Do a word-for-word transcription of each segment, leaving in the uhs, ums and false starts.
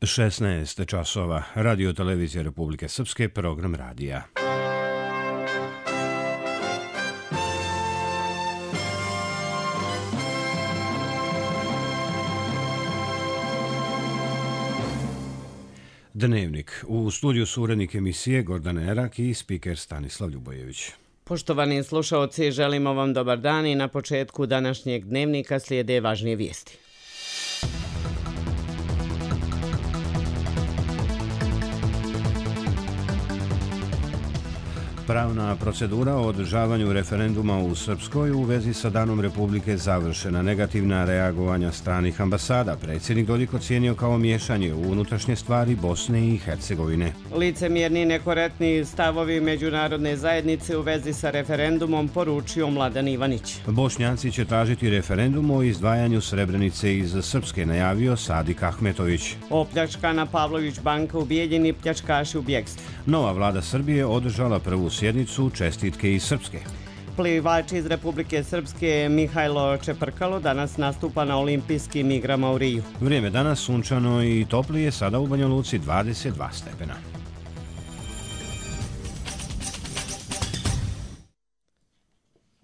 šesnaest časova. Radio televizija Republike Srpske, program radija. Dnevnik. U studiju su urednik emisije Gordana Erak i spiker Stanislav Ljubojević. Poštovani slušaoci, želimo vam dobar dan i na početku današnjeg dnevnika slijede važnije vijesti. Pravna procedura o održavanju referenduma u Srpskoj u vezi sa Danom Republike završena. Negativna reagovanja stranih ambasada predsjednik Dodik ocijenio kao miješanje u unutrašnje stvari Bosne i Hercegovine. Licemjerni i nekorektni stavovi međunarodne zajednice u vezi sa referendumom poručio Mladen Ivanić. Bošnjaci će tražiti referendum o izdvajanju Srebrenice iz Srpske, najavio Sadik Ahmetović. Opljačkana Pavlović banka, ubijeljeni pljačkaši u bjegstvu. Nova vlada Srbije održala prvu sjednicu čestitke iz Srpske. Plivač iz Republike Srpske Mihajlo Čeprkalo danas nastupa na olimpijskim igrama u Riju. Vrijeme danas sunčano i toplije, sada u Banja Luci dvadeset dva stepena.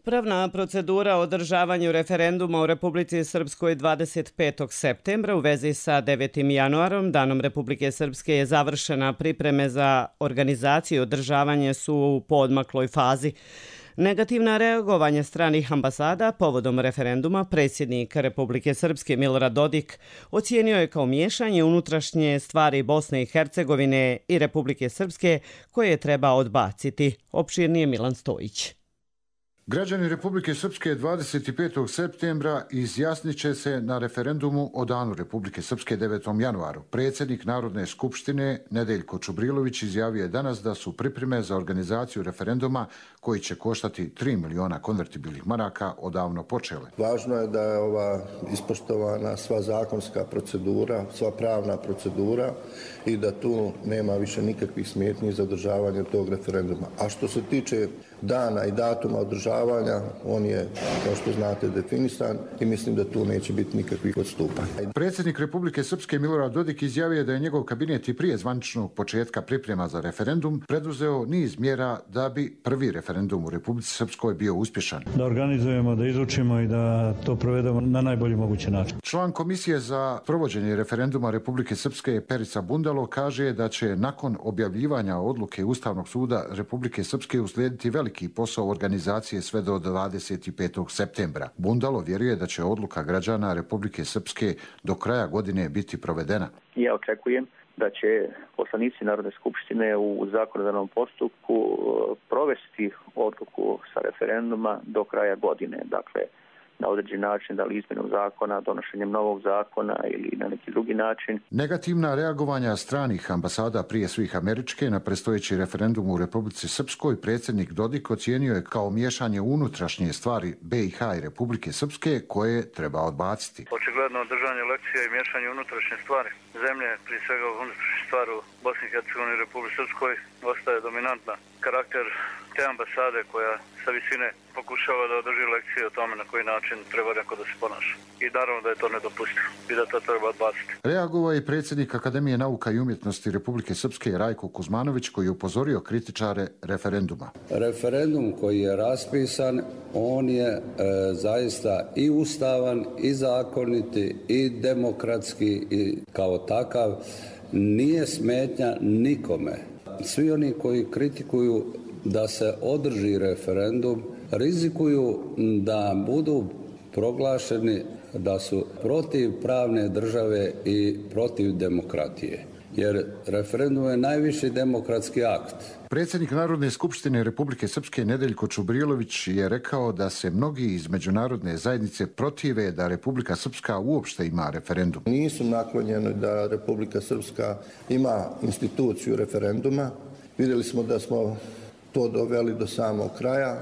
Pravna procedura o održavanju referenduma u Republici Srpskoj dvadeset petog septembra u vezi sa devetim januarom, Danom Republike Srpske, je završena. Pripreme za organizaciju i održavanje su u poodmakloj fazi. Negativna reagovanja stranih ambasada povodom referenduma predsjednik Republike Srpske Milorad Dodik ocijenio je kao miješanje unutrašnje stvari Bosne i Hercegovine i Republike Srpske koje treba odbaciti. Opširnije Milan Stojić. Građani Republike Srpske dvadeset petog septembra izjasnit će se na referendumu o Danu Republike Srpske devetom januaru. Predsjednik Narodne skupštine Nedeljko Čubrilović izjavio je danas da su pripreme za organizaciju referenduma koji će koštati tri miliona konvertibilnih maraka odavno počele. Važno je da je ova ispoštovana sva zakonska procedura, sva pravna procedura i da tu nema više nikakvih smetnji za održavanje tog referenduma. A što se tiče dana i datuma održavanja, on je, kao što znate, definisan i mislim da tu neće biti nikakvih odstupanja. Predsjednik Republike Srpske Milorad Dodik izjavio da je njegov kabinet i prije zvaničnog početka priprema za referendum preduzeo niz mjera da bi prvi referendum u Republici Srpskoj bio uspješan. Da organizujemo, da izučimo i da to provedemo na najbolji mogući način. Član Komisije za provođenje referenduma Republike Srpske Perica Bundalo kaže da će nakon objavljivanja odluke Ustavnog suda Republike Srpske uslijediti veliki posao organizacije sve do dvadeset petog septembra. Bundalo vjeruje da će odluka građana Republike Srpske do kraja godine biti provedena. Ja očekujem da će poslanici Narodne skupštine u zakonodavnom postupku provesti odluku sa referenduma do kraja godine. Dakle, na određen način, da li izmjenom zakona, donošenjem novog zakona ili na neki drugi način. Negativna reagovanja stranih ambasada, prije svih američke, na predstojeći referendum u Republici Srpskoj predsjednik Dodik ocijenio je kao miješanje unutrašnje stvari B i H i Republike Srpske koje treba odbaciti. Očigledno držanje lekcija i miješanje unutrašnje stvari zemlje, prije svega unutrašnje stvari u Bosni i Hercegovini i Republici Srpskoj, ostaje dominantna. Karakter te ambasade koja sa visine pokušava da održi lekcije o tome na koji način treba neko da se ponaša. I naravno da je to nedopustivo i da to treba odbaciti. Reagovao je predsjednik Akademije nauka i umjetnosti Republike Srpske Rajko Kuzmanović koji je upozorio kritičare referenduma. Referendum koji je raspisan, on je e, zaista i ustavan, i zakoniti, i demokratski, i kao takav nije smetnja nikome. Svi oni koji kritikuju da se održi referendum rizikuju da budu proglašeni da su protiv pravne države i protiv demokratije. Jer referendum je najviši demokratski akt. Predsjednik Narodne skupštine Republike Srpske Nedeljko Čubrilović je rekao da se mnogi iz međunarodne zajednice protive da Republika Srpska uopšte ima referendum. Nisu naklonjeni da Republika Srpska ima instituciju referenduma. Vidjeli smo da smo to doveli do samog kraja.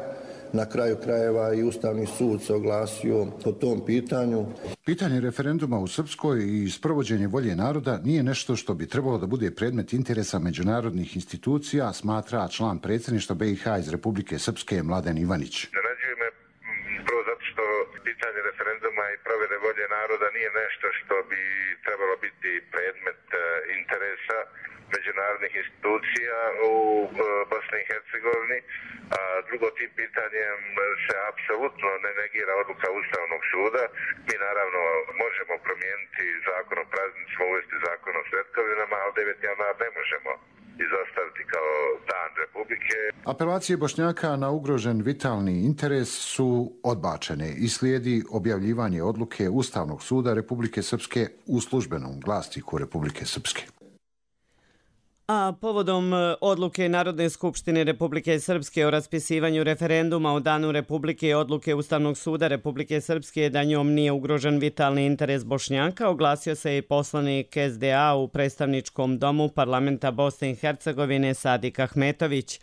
Na kraju krajeva i Ustavni sud se oglasio po tom pitanju. Pitanje referenduma u Srpskoj i sprovođenje volje naroda nije nešto što bi trebalo da bude predmet interesa međunarodnih institucija, smatra član predsjedništva B i H iz Republike Srpske Mladen Ivanić. Zarađuje me prvo zato što pitanje referenduma referenduma i provjere volje naroda nije nešto što bi trebalo biti predmet interesa međunarodnih institucija u Bosni i Hercegovini. A drugo, tim pitanjem se apsolutno ne negira odluka Ustavnog suda. Mi naravno možemo promijeniti zakon o praznicima, uvesti zakon o svetkovinama, ali deveti januar ne možemo izostaviti kao dan Republike. Apelacije Bošnjaka na ugrožen vitalni interes su odbačene i slijedi objavljivanje odluke Ustavnog suda Republike Srpske u službenom glasniku Republike Srpske. A povodom odluke Narodne skupštine Republike Srpske o raspisivanju referenduma o Danu Republike i odluke Ustavnog suda Republike Srpske da njom nije ugrožen vitalni interes Bošnjaka, oglasio se i poslanik S D A u predstavničkom domu parlamenta Bosne i Hercegovine Sadik Ahmetović.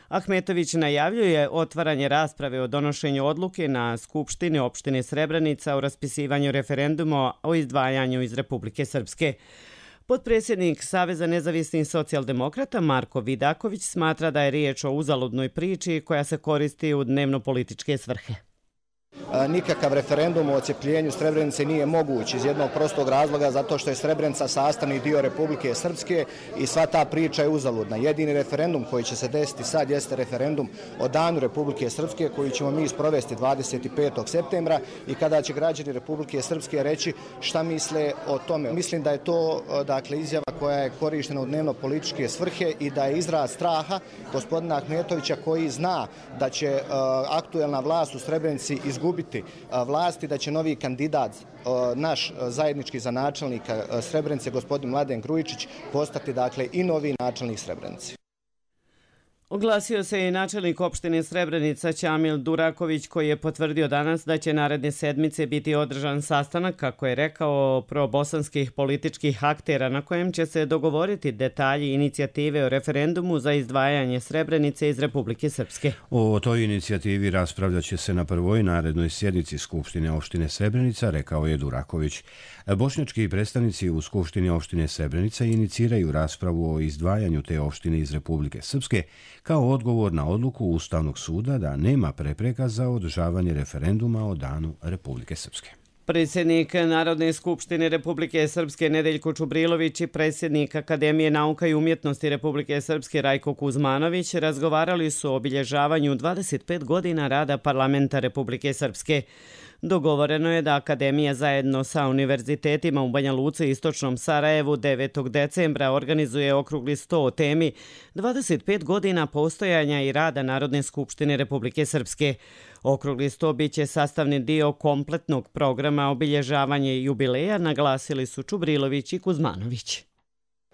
Ahmetović najavljuje otvaranje rasprave o donošenju odluke na Skupštini opštine Srebrenica o raspisivanju referenduma o izdvajanju iz Republike Srpske. Potpredsjednik Saveza nezavisnih socijaldemokrata Marko Vidaković smatra da je riječ o uzaludnoj priči koja se koristi u dnevno-političke svrhe. Nikakav referendum o odcepljenju Srebrenice nije moguć iz jednog prostog razloga zato što je Srebrenica sastavni dio Republike Srpske i sva ta priča je uzaludna. Jedini referendum koji će se desiti sad jeste referendum o Danu Republike Srpske koji ćemo mi sprovesti dvadeset petog septembra i kada će građani Republike Srpske reći šta misle o tome. Mislim da je to dakle izjava koja je korištena u dnevno političke svrhe i da je izraz straha gospodina Ahmetovića koji zna da će uh, aktuelna vlast u Srebrenici izgubiti vlasti, da će novi kandidat, naš zajednički za načelnika Srebrenice, gospodin Mladen Grujičić, postati dakle i novi načelnik Srebrenice. Oglasio se i načelnik opštine Srebrenica Ćamil Duraković koji je potvrdio danas da će naredne sedmice biti održan sastanak, kako je rekao, probosanskih političkih aktera na kojem će se dogovoriti detalji inicijative o referendumu za izdvajanje Srebrenice iz Republike Srpske. O toj inicijativi raspravljat će se na prvoj narednoj sjednici Skupštine opštine Srebrenica, rekao je Duraković. Bošnjački predstavnici u Skupštini opštine Srebrenica iniciraju raspravu o izdvajanju te opštine iz Republike Srpske kao odgovor na odluku Ustavnog suda da nema prepreka za održavanje referenduma o Danu Republike Srpske. Predsjednik Narodne skupštine Republike Srpske Nedeljko Čubrilović i predsjednik Akademije nauka i umjetnosti Republike Srpske Rajko Kuzmanović razgovarali su o obilježavanju dvadeset pet godina rada parlamenta Republike Srpske. Dogovoreno je da Akademija zajedno sa univerzitetima u Banja Luci i Istočnom Sarajevu devetog decembra organizuje okrugli sto o temi dvadeset pet godina postojanja i rada Narodne skupštine Republike Srpske. Okrugli sto biće sastavni dio kompletnog programa obilježavanje jubileja, naglasili su Čubrilović i Kuzmanović.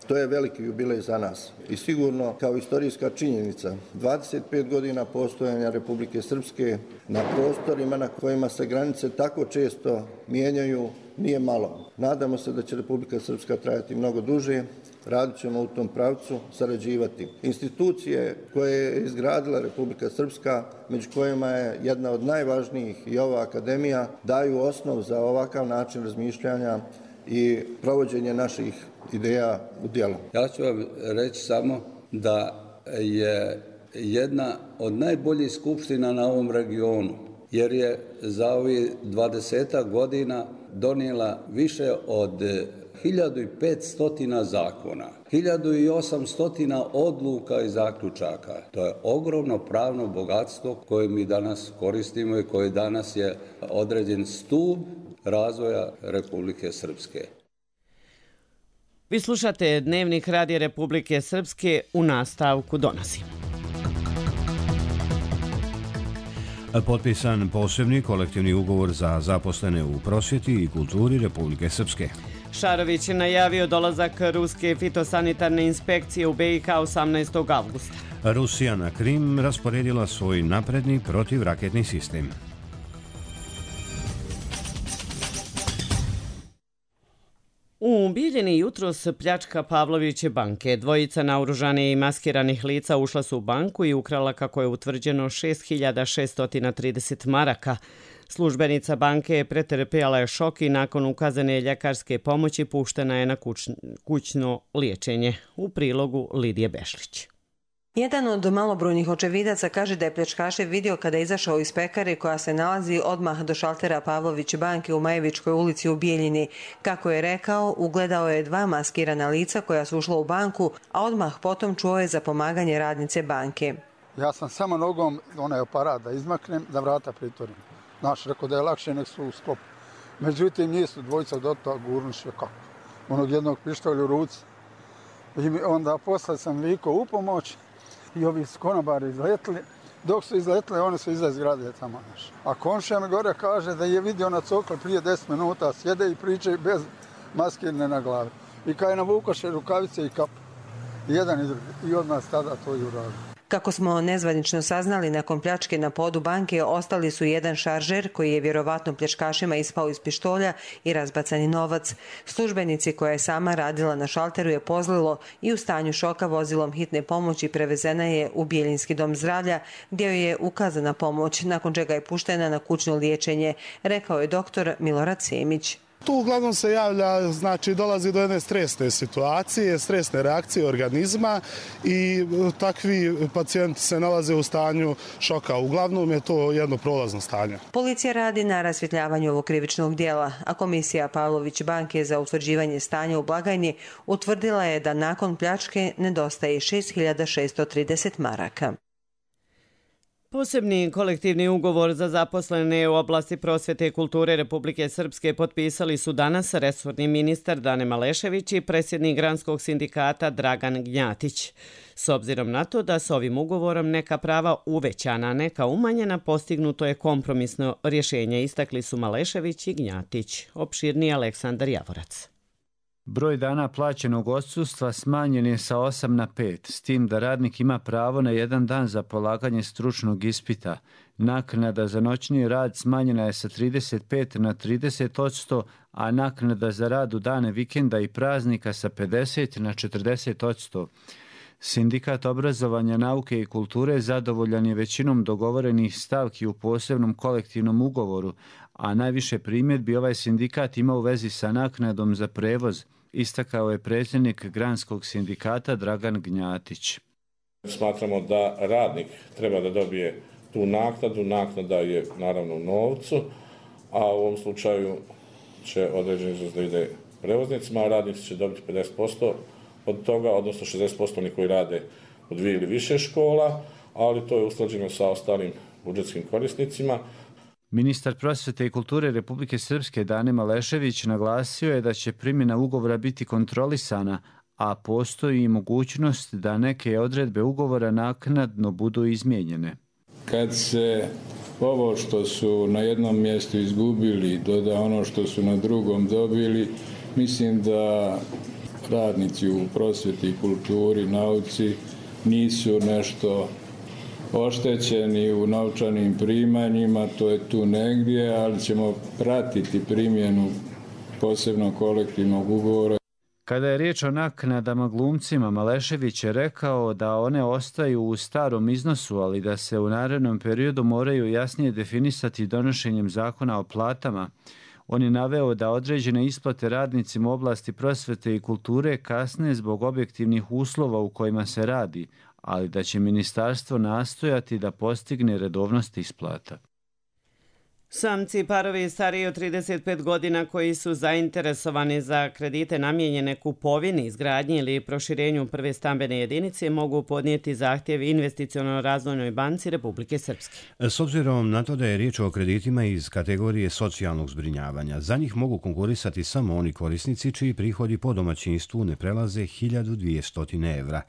To je veliki jubilej za nas i sigurno kao istorijska činjenica dvadeset pet godina postojanja Republike Srpske na prostorima na kojima se granice tako često mijenjaju nije malo. Nadamo se da će Republika Srpska trajati mnogo duže, radit ćemo u tom pravcu, sarađivati. Institucije koje je izgradila Republika Srpska, među kojima je jedna od najvažnijih i ova akademija, daju osnov za ovakav način razmišljanja i provođenje naših ideja u djelo. Ja ću vam reći samo da je jedna od najboljih skupština na ovom regionu, jer je za ovih dvadesetak godina donijela više od hiljadu petsto zakona, hiljadu osamsto odluka i zaključaka. To je ogromno pravno bogatstvo koje mi danas koristimo i koje danas je određen stup razvoja Republike Srpske. Vi slušate Dnevnik Radija Republike Srpske, u nastavku donosim. Potpisan posebni kolektivni ugovor za zaposlene u prosvjeti i kulturi Republike Srpske. Šarović je najavio dolazak ruske fitosanitarne inspekcije u B i H osamnaestog avgusta. Rusija na Krim rasporedila svoj napredni protivraketni sistem. U Bijeljini jutros pljačka Pavloviće banke. Dvojica naoružanih i maskiranih lica ušla su u banku i ukrala, kako je utvrđeno, šest hiljada šeststo trideset maraka. Službenica banke je pretrpjela šok i nakon ukazane ljekarske pomoći puštena je na kuć, kućno liječenje. U prilogu Lidije Bešlić. Jedan od malobrojnih očevidaca kaže da je pljačkaše vidio kada je izašao iz pekare koja se nalazi odmah do šaltera Pavlović banke u Majevičkoj ulici u Bijeljini. Kako je rekao, ugledao je dva maskirana lica koja su ušla u banku, a odmah potom čuo je za pomaganje radnice banke. Ja sam samo nogom onaj aparat da izmaknem, da vrata pritvorim. Znaš, rekao da je lakše nek su u sklopu. Međutim, nisu dvojica do toga gurnuše kako. Onog jednog pištolja u ruci. I onda posle sam vikao u pomoć i ovi su konobari izletili. Dok su izletili, oni su iza zgrade tamo naš. A komšija mi gore kaže da je vidio na cokli prije deset minuta, sjede i pričaju bez maskirne na glavi. I kaj navukoše rukavice i kap. Jedan i drugi. I odmah tada to i uradio. Kako smo nezvanično saznali, nakon pljačke na podu banke ostali su jedan šaržer koji je vjerovatno pljačkašima ispao iz pištolja i razbacani novac. Službenici koja je sama radila na šalteru je pozlilo i u stanju šoka vozilom hitne pomoći prevezena je u Bijeljinski dom zdravlja gdje joj je ukazana pomoć, nakon čega je puštena na kućno liječenje, rekao je doktor Milorad Semić. Tu uglavnom se javlja, znači dolazi do jedne stresne situacije, stresne reakcije organizma i takvi pacijenti se nalaze u stanju šoka. Uglavnom je to jedno prolazno stanje. Policija radi na rasvjetljavanju ovog krivičnog djela, a komisija Pavlović banke za utvrđivanje stanja u blagajni utvrdila je da nakon pljačke nedostaje šest hiljada šessto trideset maraka. Posebni kolektivni ugovor za zaposlene u oblasti prosvjete i kulture Republike Srpske potpisali su danas resorni ministar Dane Malešević i predsjednik Granskog sindikata Dragan Gnjatić. S obzirom na to da s ovim ugovorom neka prava uvećana, neka umanjena, postignuto je kompromisno rješenje, istakli su Malešević i Gnjatić. Opširniji Aleksandar Javorac. Broj dana plaćenog odsustva smanjen je sa osam na pet, s tim da radnik ima pravo na jedan dan za polaganje stručnog ispita. Naknada za noćni rad smanjena je sa trideset pet na trideset odsto, a naknada za rad u dane vikenda i praznika sa pedeset na četrdeset odsto. Sindikat obrazovanja, nauke i kulture zadovoljan je većinom dogovorenih stavki u posebnom kolektivnom ugovoru, a najviše primjedbi ovaj sindikat ima u vezi sa naknadom za prevoz, istakao je predsjednik Granskog sindikata Dragan Gnjatić. Smatramo da radnik treba da dobije tu naknadu, naknada je naravno u novcu, a u ovom slučaju će određeni iznos da ide prevoznicima, a radnici će dobiti pedeset posto od toga, odnosno šezdeset posto oni koji rade u dvije ili više škola, ali to je usklađeno sa ostalim budžetskim korisnicima. Ministar prosvjete i kulture Republike Srpske Dane Malešević naglasio je da će primjena ugovora biti kontrolisana, a postoji i mogućnost da neke odredbe ugovora naknadno budu izmijenjene. Kad se ovo što su na jednom mjestu izgubili doda ono što su na drugom dobili, mislim da radnici u prosvjeti, kulturi, nauci nisu nešto oštećeni u novčanim primanjima, to je tu negdje, ali ćemo pratiti primjenu posebnog kolektivnog ugovora. Kada je riječ o naknadama glumcima, Malešević je rekao da one ostaju u starom iznosu, ali da se u narednom periodu moraju jasnije definisati donošenjem zakona o platama. On je naveo da određene isplate radnicima u oblasti prosvjete i kulture kasne zbog objektivnih uslova u kojima se radi, ali da će ministarstvo nastojati da postigne redovnost isplata. Samci parovi stariji od trideset pet godina koji su zainteresovani za kredite namijenjene kupovini, izgradnji ili proširenju prve stambene jedinice mogu podnijeti zahtjev Investiciono-razvojnoj banci Republike Srpske. S obzirom na to da je riječ o kreditima iz kategorije socijalnog zbrinjavanja, za njih mogu konkurisati samo oni korisnici čiji prihodi po domaćinstvu ne prelaze hiljadu dvjesto evra.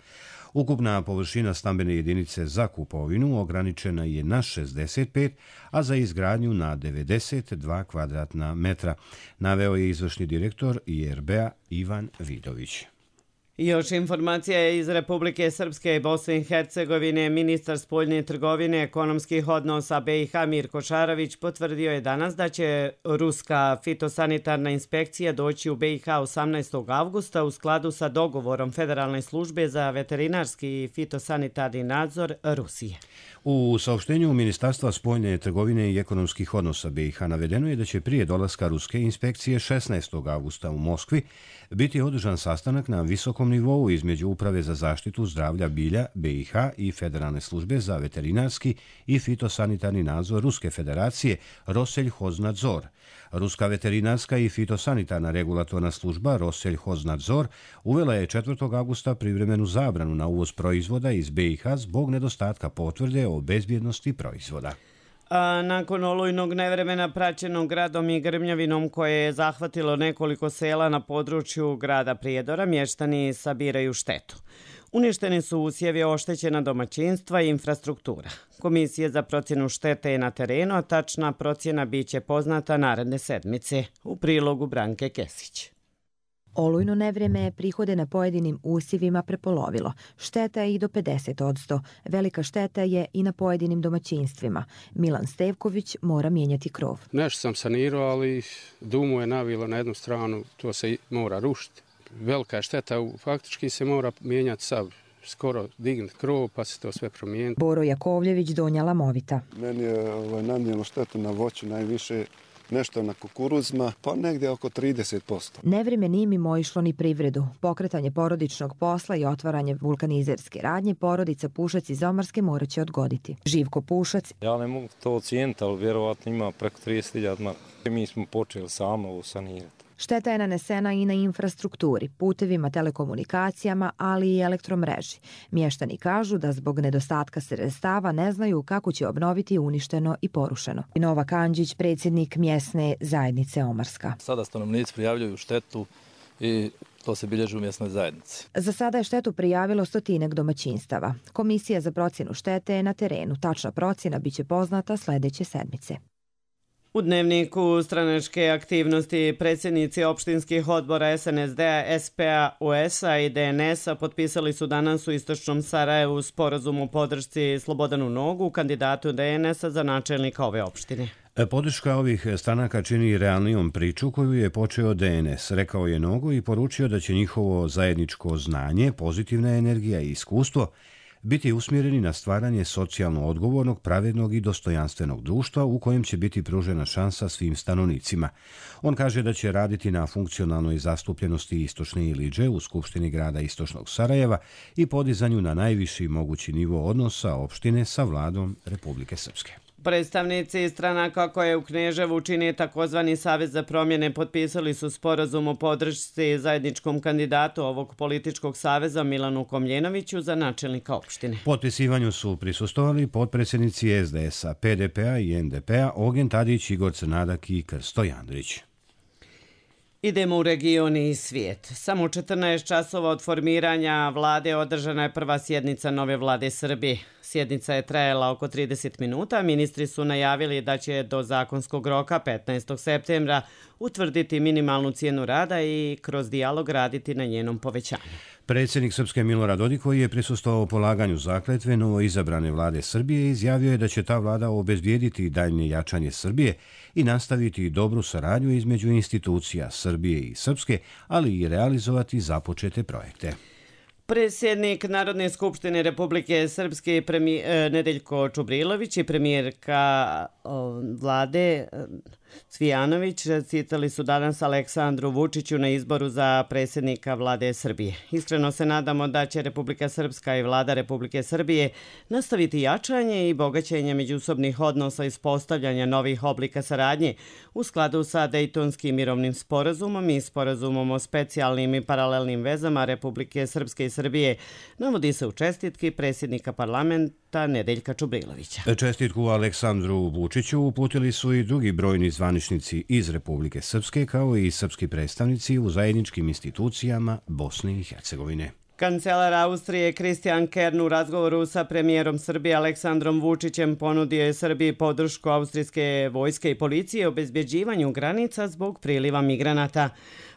Ukupna površina stambene jedinice za kupovinu ograničena je na šezdeset pet, a za izgradnju na devedeset dva kvadratna metra, naveo je izvršni direktor I R B-a Ivan Vidović. Još informacija je iz Republike Srpske i Bosne i Hercegovine. Ministar spoljne trgovine, ekonomskih odnosa B i H Mirko Šarović potvrdio je danas da će ruska fitosanitarna inspekcija doći u B i H osamnaestog avgusta u skladu sa dogovorom Federalne službe za veterinarski i fitosanitarni nadzor Rusije. U saopštenju Ministarstva spoljne trgovine i ekonomskih odnosa B i H navedeno je da će prije dolaska ruske inspekcije šesnaestog avgusta u Moskvi biti održan sastanak na visokom visokom nivou između Uprave za zaštitu zdravlja bilja B i H i Federalne službe za veterinarski i fitosanitarni nadzor Ruske federacije Roselj-Hoznadzor. Ruska veterinarska i fitosanitarna regulatorna služba Roselj-Hoznadzor uvela je četvrtog avgusta privremenu zabranu na uvoz proizvoda iz B i H zbog nedostatka potvrde o bezbjednosti proizvoda. A nakon olujnog nevremena praćenog gradom i grmljavinom koje je zahvatilo nekoliko sela na području grada Prijedora, mještani sabiraju štetu. Uništeni su usjevi, oštećena domaćinstva i infrastruktura. Komisija za procjenu štete je na terenu, a tačna procjena biće poznata naredne sedmice. U prilogu Branke Kesić. Olujno nevreme je prihode na pojedinim usjevima prepolovilo. Šteta je i do pedeset odsto. Velika šteta je i na pojedinim domaćinstvima. Milan Stevković mora mijenjati krov. Nešto sam sanirao, ali dumu je navilo na jednu stranu, to se mora rušiti. Velika je šteta, faktički se mora mijenjati sav, skoro dignut krov pa se to sve promijeniti. Boro Jakovljević, Donja Lamovita. Meni je ovaj, nanijelo štetu na voću najviše, nešto na kukuruzima, pa negdje oko trideset posto. Nevreme nije mimo išlo ni privredu. Pokretanje porodičnog posla i otvaranje vulkanizerske radnje porodica Pušac iz Omarske morat će odgoditi. Živko Pušac. Ja ne mogu to ocijeniti, ali vjerovatno ima preko trideset hiljada maraka. Mi smo počeli samo ovo sanirati. Šteta je nanesena i na infrastrukturi, putevima, telekomunikacijama, ali i elektromreži. Mještani kažu da zbog nedostatka sredstava ne znaju kako će obnoviti uništeno i porušeno. Nova Kanđić, predsjednik mjesne zajednice Omarska. Sada stanovnici prijavljuju štetu i to se bilježi u mjesnoj zajednici. Za sada je štetu prijavilo stotinak domaćinstava. Komisija za procjenu štete je na terenu. Tačna procjena biće poznata sljedeće sedmice. U dnevniku stranačke aktivnosti predsjednici opštinskih odbora S N S D-a, S P A, U S A i D N S-a potpisali su danas u istočnom Sarajevu sporazum o podršci Slobodanu Nogu, kandidatu D N S-a za načelnika ove opštine. Podrška ovih stranaka čini realnijom priču koju je počeo D N S, rekao je Nogo i poručio da će njihovo zajedničko znanje, pozitivna energija i iskustvo biti usmjereni na stvaranje socijalno odgovornog, pravednog i dostojanstvenog društva u kojem će biti pružena šansa svim stanovnicima. On kaže da će raditi na funkcionalnoj zastupljenosti Istočne Ilidže u Skupštini grada Istočnog Sarajeva i podizanju na najviši mogući nivo odnosa opštine sa vladom Republike Srpske. Predstavnici stranaka koje u Kneževu čini takozvani Savez za promjene potpisali su sporazum o podršci zajedničkom kandidatu ovog političkog saveza Milanu Komljenoviću za načelnika opštine. Potpisivanju su prisustovali potpredsjednici S D S-a, P D P-a i N D P-a Ogen Tadić, Igor Crnadak i Krsto Jandrić. Idemo u region i svijet. Samo četrnaest časova od formiranja vlade održana je prva sjednica nove vlade Srbije. Sjednica je trajala oko trideset minuta. Ministri su najavili da će do zakonskog roka petnaestog septembra utvrditi minimalnu cijenu rada i kroz dijalog raditi na njenom povećanju. Predsjednik Srpske Milorad Dodik, koji je prisustvovao polaganju zakletve novo izabrane vlade Srbije, izjavio je da će ta vlada obezbijediti daljnje jačanje Srbije i nastaviti dobru saradnju između institucija Srbije i Srpske, ali i realizovati započete projekte. Predsjednik Narodne skupštine Republike Srpske premijer, Nedeljko Čubrilović i premijerka o, vlade Cvijanović citali su danas Aleksandru Vučiću na izboru za predsjednika vlade Srbije. Iskreno se nadamo da će Republika Srpska i vlada Republike Srbije nastaviti jačanje i bogaćenje međusobnih odnosa i uspostavljanja novih oblika saradnje u skladu sa Dejtonskim mirovnim sporazumom i sporazumom o specijalnim i paralelnim vezama Republike Srpske i Srbije, navodi se u čestitki predsjednika parlamenta Nedeljka Čubrilovića. Čestitku Aleksandru Vučiću uputili su i drugi brojni zvaničnici iz Republike Srpske, kao i srpski predstavnici u zajedničkim institucijama Bosne i Hercegovine. Kancelar Austrije Christian Kern u razgovoru sa premijerom Srbije Aleksandrom Vučićem ponudio je Srbiji podršku austrijske vojske i policije u obezbjeđivanju granica zbog priliva migranata.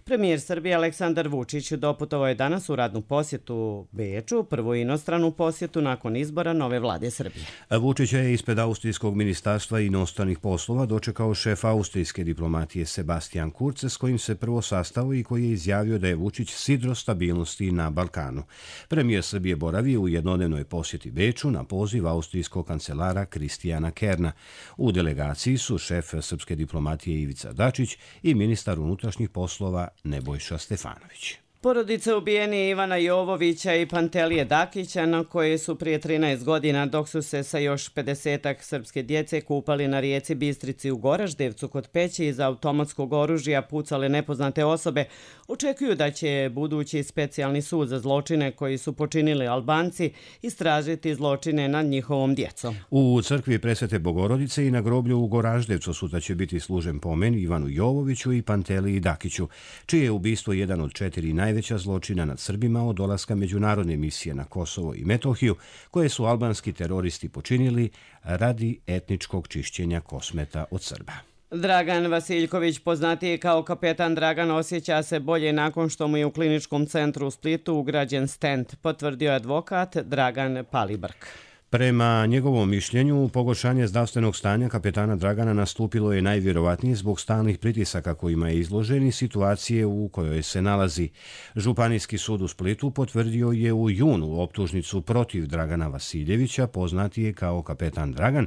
Premijer Srbije Aleksandar Vučić doputovao je danas u radnu posjetu Beču, prvu inostranu posjetu nakon izbora nove vlade Srbije. Vučić je ispred Austrijskog ministarstva inostranih poslova dočekao šef austrijske diplomatije Sebastian Kurz, s kojim se prvo sastao i koji je izjavio da je Vučić sidro stabilnosti na Balkanu. Premijer Srbije boravi u jednodnevnoj posjeti Beču na poziv austrijskog kancelara Kristijana Kerna. U delegaciji su šef srpske diplomatije Ivica Dačić i ministar unutrašnjih poslova Nebojša Stefanović. Porodice ubijeni Ivana Jovovića i Pantelije Dakića, na koje su prije trinaest godina, dok su se sa još pedesetak srpske djece kupali na rijeci Bistrici u Goraždevcu kod Peći iz automatskog oružja pucale nepoznate osobe, očekuju da će budući specijalni sud za zločine koji su počinili Albanci istražiti zločine nad njihovom djecom. U crkvi Presvete Bogorodice i na groblju u Goraždevcu sutra će biti služen pomen Ivanu Jovoviću i Panteliji Dakiću, čije je ubistvo jedan od četiri najveća zločina nad Srbima od dolaska međunarodne misije na Kosovo i Metohiju, koje su albanski teroristi počinili radi etničkog čišćenja Kosmeta od Srba. Dragan Vasiljković, poznatiji kao kapetan Dragan, osjeća se bolje nakon što mu je u kliničkom centru u Splitu ugrađen stent, potvrdio je advokat Dragan Palibrk. Prema njegovom mišljenju, pogoršanje zdravstvenog stanja kapetana Dragana nastupilo je najvjerovatnije zbog stalnih pritisaka kojima je izložen i situacije u kojoj se nalazi. Županijski sud u Splitu potvrdio je u junu optužnicu protiv Dragana Vasiljevića, poznatije kao kapetan Dragan,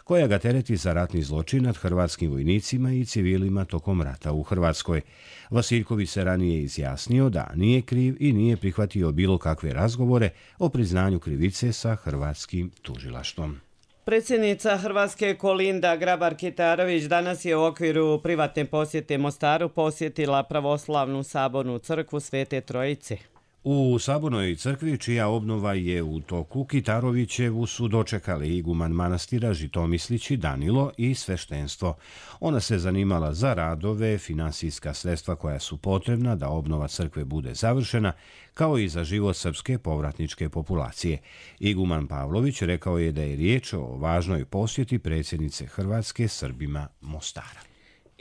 koja ga tereti za ratni zločin nad hrvatskim vojnicima i civilima tokom rata u Hrvatskoj. Vasiljković se ranije izjasnio da nije kriv i nije prihvatio bilo kakve razgovore o priznanju krivice sa hrvatskim tužilaštvom. Predsjednica Hrvatske Kolinda Grabar-Kitarović danas je u okviru privatne posjete Mostaru posjetila pravoslavnu sabornu crkvu Svete Trojice. U sabornoj crkvi, čija obnova je u toku, Kitarovićevu su dočekali iguman manastira Žitomislići Danilo i sveštenstvo. Ona se zanimala za radove, finansijska sredstva koja su potrebna da obnova crkve bude završena, kao i za život srpske povratničke populacije. Iguman Pavlović rekao je da je riječ o važnoj posjeti predsjednice Hrvatske Srbima Mostara.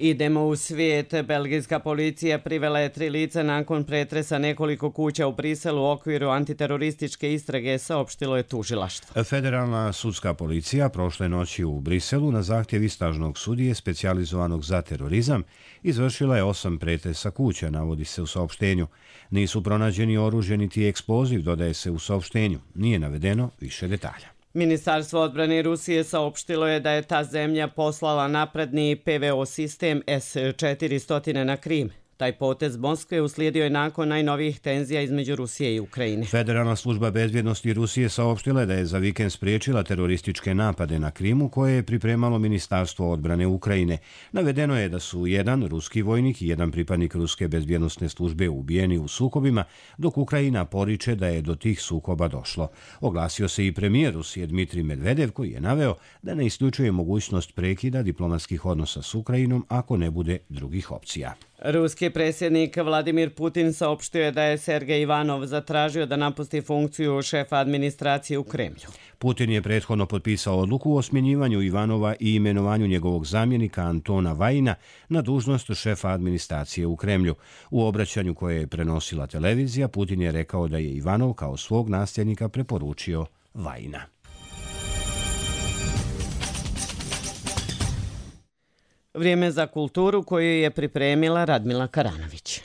Idemo u svijet. Belgijska policija privela je tri lica nakon pretresa nekoliko kuća u Briselu u okviru antiterorističke istrage, saopštilo je tužilaštvo. Federalna sudska policija prošle noći u Briselu na zahtjev istražnog sudije specijalizovanog za terorizam izvršila je osam pretresa kuća, navodi se u saopštenju. Nisu pronađeni oružje niti eksploziv, dodaje se u saopštenju. Nije navedeno više detalja. Ministarstvo odbrane Rusije saopštilo je da je ta zemlja poslala napredni P V O sistem S četiristo na Krim. Taj potez Moskve uslijedio je nakon najnovijih tenzija između Rusije i Ukrajine. Federalna služba bezbjednosti Rusije saopštila je da je za vikend spriječila terorističke napade na Krimu koje je pripremalo Ministarstvo odbrane Ukrajine. Navedeno je da su jedan ruski vojnik i jedan pripadnik ruske bezbjednosne službe ubijeni u sukobima, dok Ukrajina poriče da je do tih sukoba došlo. Oglasio se i premijer Rusije Dmitrij Medvedev, koji je naveo da ne isključuje mogućnost prekida diplomatskih odnosa s Ukrajinom ako ne bude drugih opcija. Ruski predsjednik Vladimir Putin saopštio je da je Sergej Ivanov zatražio da napusti funkciju šefa administracije u Kremlju. Putin je prethodno potpisao odluku o smjenjivanju Ivanova i imenovanju njegovog zamjenika Antona Vajina na dužnost šefa administracije u Kremlju. U obraćanju koje je prenosila televizija, Putin je rekao da je Ivanov kao svog nasljednika preporučio Vajina. Vrijeme za kulturu koju je pripremila Radmila Karanović.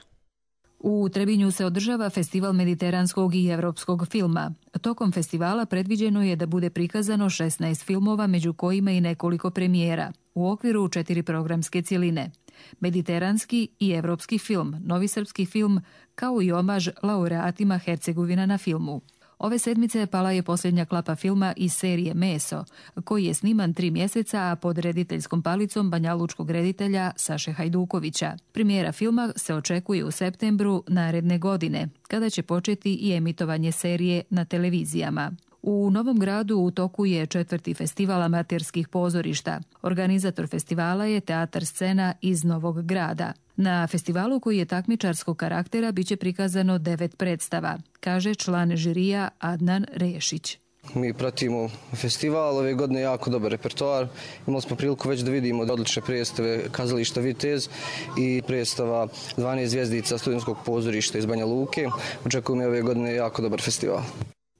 U Trebinju se održava festival mediteranskog i evropskog filma. Tokom festivala predviđeno je da bude prikazano šesnaest filmova, među kojima i nekoliko premijera, u okviru četiri programske cjeline. Mediteranski i evropski film, novi srpski film, kao i omaž laureatima Hercegovina na filmu. Ove sedmice pala je posljednja klapa filma iz serije Meso, koji je sniman tri mjeseca, a pod rediteljskom palicom banjalučkog reditelja Saše Hajdukovića. Premijera filma se očekuje u septembru naredne godine, kada će početi i emitovanje serije na televizijama. U Novom Gradu u toku je četvrti festival amaterskih pozorišta. Organizator festivala je Teatar Scena iz Novog Grada. Na festivalu, koji je takmičarskog karaktera, biće prikazano devet predstava, kaže član žirija Adnan Rešić. Mi pratimo festival, ove godine jako dobar repertoar. Imali smo priliku već da vidimo odlične predstave Kazališta Vitez i predstava dvanaest zvjezdica studentskog pozorišta iz Banja Luke. Očekujemo ove godine jako dobar festival.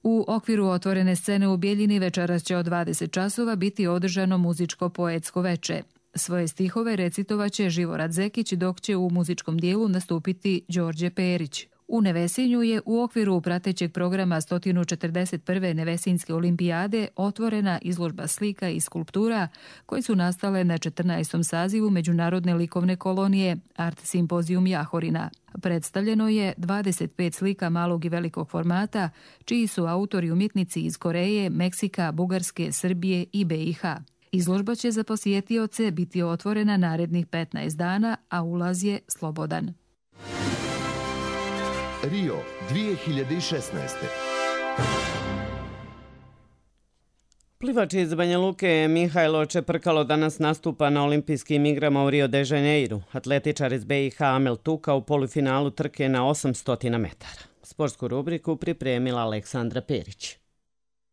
U okviru otvorene scene u Bijeljini večeras će od dvadeset časova biti održano muzičko-poetsko veče. Svoje stihove recitovaće Živorad Zekić, dok će u muzičkom dijelu nastupiti Đorđe Perić. U U Nevesinju je u okviru pratećeg programa sto četrdeset prve Nevesinjske olimpijade otvorena izložba slika i skulptura koje su nastale na četrnaestom sazivu Međunarodne likovne kolonije Art Simpozijum Jahorina. Predstavljeno je dvadeset pet slika malog i velikog formata, čiji su autori umjetnici iz Koreje, Meksika, Bugarske, Srbije i B i H. Izložba će za posjetioce biti otvorena narednih petnaest dana, a ulaz je slobodan. Rio dvije hiljade šesnaeste. Plivač iz Banja Luke Mihajlo Čeprkalo danas nastupa na olimpijskim igrama u Rio de Janeiru. Atletičar iz B i H Amel Tuka u polufinalu trke na osamsto metara. Sportsku rubriku pripremila Aleksandra Perić.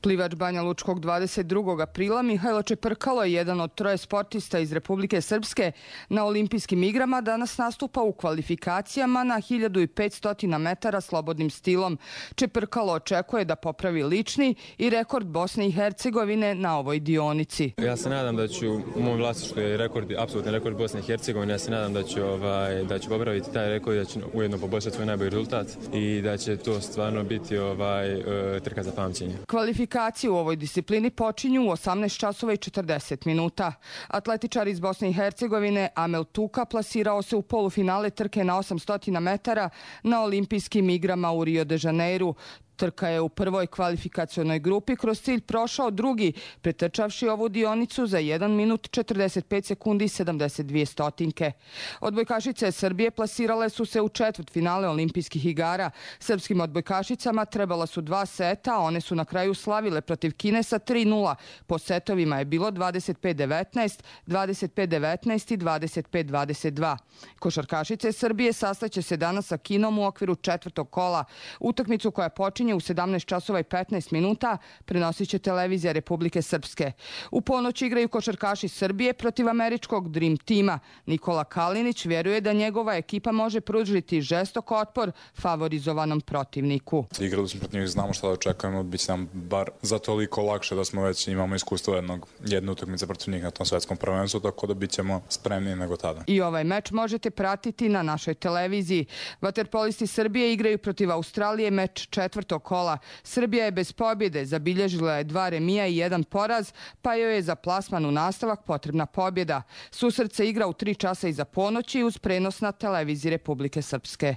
Plivač Banja Lučkog dvadeset drugog aprila Mihajlo Čeprkalo je jedan od troje sportista iz Republike Srpske na olimpijskim igrama danas nastupa u kvalifikacijama na hiljadu petsto metara slobodnim stilom. Čeprkalo očekuje da popravi lični i rekord Bosne i Hercegovine na ovoj dionici. Ja se nadam da ću u mom vlasništvu je rekord, apsolutni rekord Bosne i Hercegovine. Ja se nadam da ću, ovaj, da ću popraviti taj rekord i da ću ujedno poboljšati svoj najbolji rezultat i da će to stvarno biti ovaj, trka za pamćenje. Kvalifikacije u ovoj disciplini počinju u osamnaest časova i četrdeset minuta. Atletičar iz Bosne i Hercegovine Amel Tuka plasirao se u polufinale trke na osamsto metara na olimpijskim igrama u Rio de Janeiru. Trka je u prvoj kvalifikacionoj grupi kroz cilj prošao drugi, pretrčavši ovu dionicu za jedan minut četrdeset pet sekundi i sedamdeset dvije stotinke. Odbojkašice Srbije plasirale su se u četvrt finale olimpijskih igara. Srpskim odbojkašicama trebala su dva seta, a one su na kraju slavile protiv Kine sa tri nula. Po setovima je bilo dvadeset pet devetnaest, dvadeset pet devetnaest i dvadeset pet dvadeset dva. Košarkašice Srbije sastaće se danas sa Kinom u okviru četvrtog kola. Utakmicu koja počinje u sedamnaest časova i petnaest minuta prenosit će televizija Republike Srpske. U ponoć igraju košarkaši Srbije protiv američkog Dream tima. Nikola Kalinić vjeruje da njegova ekipa može pružiti žestok otpor favorizovanom protivniku. Igrali smo protiv njih, znamo šta da očekujemo, bit će nam bar za toliko lakše da smo već imamo iskustvo jednog, jedne utakmice protiv njih na tom svetskom prvenstvu, tako da bit ćemo spremniji nego tada. I ovaj meč možete pratiti na našoj televiziji. Vaterpolisti Srbije igraju protiv Australije meč četvrtog kola. Srbija je bez pobjede, zabilježila je dva remija i jedan poraz, pa joj je za plasman u nastavak potrebna pobjeda. Susret se igra u tri časa iza ponoći uz prenos na televiziji Republike Srpske.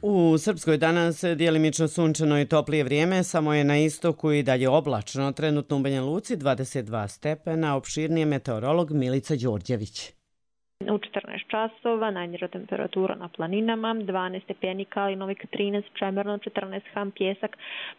U Srpskoj danas djelimično sunčano i toplije vrijeme, samo je na istoku i dalje oblačno. Trenutno u Banja Luci dvadeset dva stepena, opširnije meteorolog Milica Đorđević. U četrnaest časova najniža temperatura na planinama, dvanaest stepeni Kalinovik, trinaest Čemerno, četrnaest Ham Pjesak,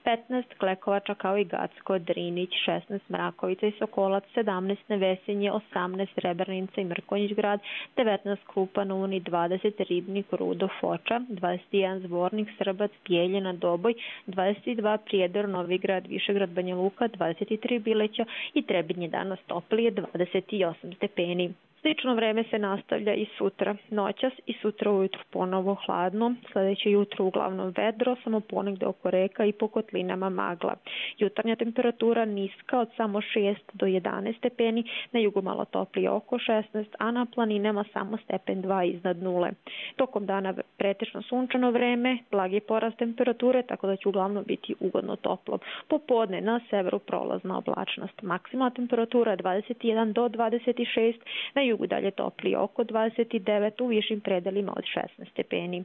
petnaest Klekovača kao i Gacko, Drinić, šesnaest Mrakovica i Sokolac, sedamnaest Nevesinje, osamnaest Srebrnica i Mrkonjić grad, devetnaest Krupan Uni, dvadeset Ribnik, Rudo, Foča, dvadeset jedan Zvornik, Srbac, Bijeljina, Doboj, dvadeset dva Prijedor, Novigrad, Višegrad, Banja Luka, dvadeset tri Bileća i Trebinje danas toplije, dvadeset osam stepeni. Slično vreme se nastavlja i sutra. Noćas i sutra ujutru ponovo hladno, sljedeće jutro uglavnom vedro, samo ponegde oko reka i po kotlinama magla. Jutarnja temperatura niska od samo šest do jedanaest stepeni, na jugu malo toplije oko šesnaest, a na planinama samo stepen dva iznad nule. Tokom dana pretečno sunčano vreme, blagi porast temperature, tako da će uglavnom biti ugodno toplo. Popodne na severu prolazna oblačnost. Maksimalna temperatura dvadeset jedan do dvadeset šest, na jugu dalje toplije oko dvadeset devet, u višim predelima od šesnaest stepeni.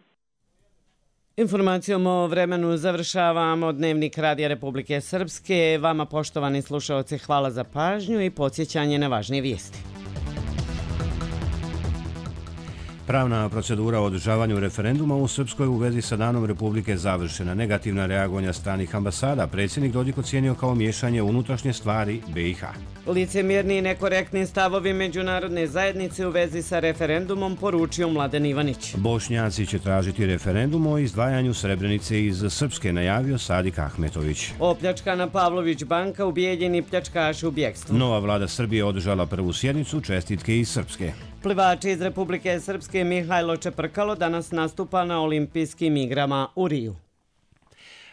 Informacijom o vremenu završavamo Dnevnik Radija Republike Srpske. Vama, poštovani slušaoci, hvala za pažnju i podsjećanje na važnije vijesti. Pravna procedura o održavanju referenduma u Srpskoj u vezi sa Danom Republike završena. Negativna reagovanja stranih ambasada predsjednik Dodik ocijenio kao miješanje u unutrašnje stvari B i H. Licemjerni i nekorektni stavovi međunarodne zajednice u vezi sa referendumom poručio Mladen Ivanić. Bošnjaci će tražiti referendum o izdvajanju Srebrenice iz Srpske, najavio Sadik Ahmetović. Opljačkana Pavlović banka, ubijeljeni pljačkaši u bjekstvu. Nova vlada Srbije održala prvu sjednicu, čestitke iz Srpske. Plivač iz Republike Srpske Mihajlo Čeprkalo danas nastupa na olimpijskim igrama u Riju.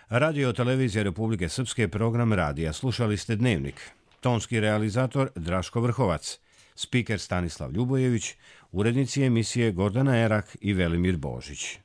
Radio televizija Republike Srpske, program radija. Slušali ste Dnevnik. Tonski realizator Draško Vrhovac. Spiker Stanislav Ljubojević, urednici emisije Gordana Erak i Velimir Božić.